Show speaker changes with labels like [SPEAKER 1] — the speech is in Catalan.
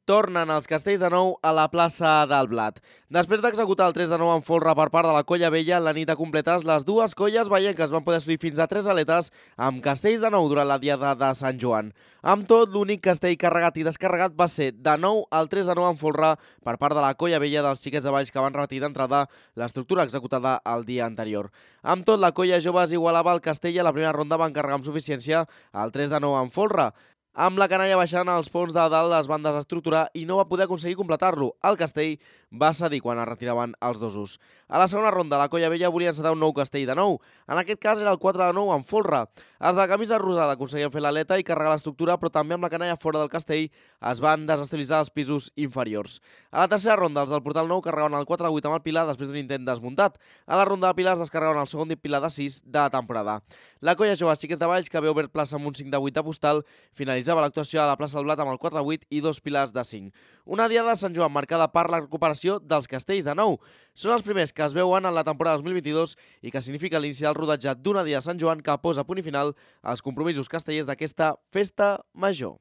[SPEAKER 1] Tornen els castells de nou a la plaça del Blat. Després d'executar el 3-9 en folre per part de la Colla Vella, la nit de completes, les dues colles veienques van poder assolir fins a 3 aletes amb castells de nou durant la diada de Sant Joan. Amb tot, l'únic castell carregat i descarregat va ser de nou el 3-9 en folre per part de la Colla Vella dels Xiquets de Valls, que van repetir d'entrada l'estructura executada el dia anterior. Amb tot, la Colla Joves igualava el castell i a la primera ronda van carregar amb suficiència el 3-9 en folre, amb la canalla baixant als ponts de dalt les van desestructurar i no va poder aconseguir completar-lo. El castell va cedir quan es retiraven els dosos. A la segona ronda, la Colla Vella volia encetar un nou castell de nou. En aquest cas era el 4-9 en folre. Els de camisa rosada aconseguien fer l'aleta i carregar l'estructura, però també amb la canalla fora del castell es van desestabilitzar els pisos inferiors. A la tercera ronda, els del portal nou carregaven el 4-8 amb el pilar després d'un intent desmuntat. A la ronda de pilars descarregaven el segon pilar de 6 de la temporada. La Colla Joves Xiquets de Valls, que havia obert plaça amb un 5-8 de postal, finalitzava l'actuació a la plaça del Blat amb el 4-8 i 2 pilars de 5. Una diada de Sant Joan marcada per la recuperació dels castells de nou. Són els primers que es veuen en la temporada 2022 i que significa l'inici del rodatge d'una dia de Sant Joan que posa punt i final als compromisos castellers d'aquesta festa major.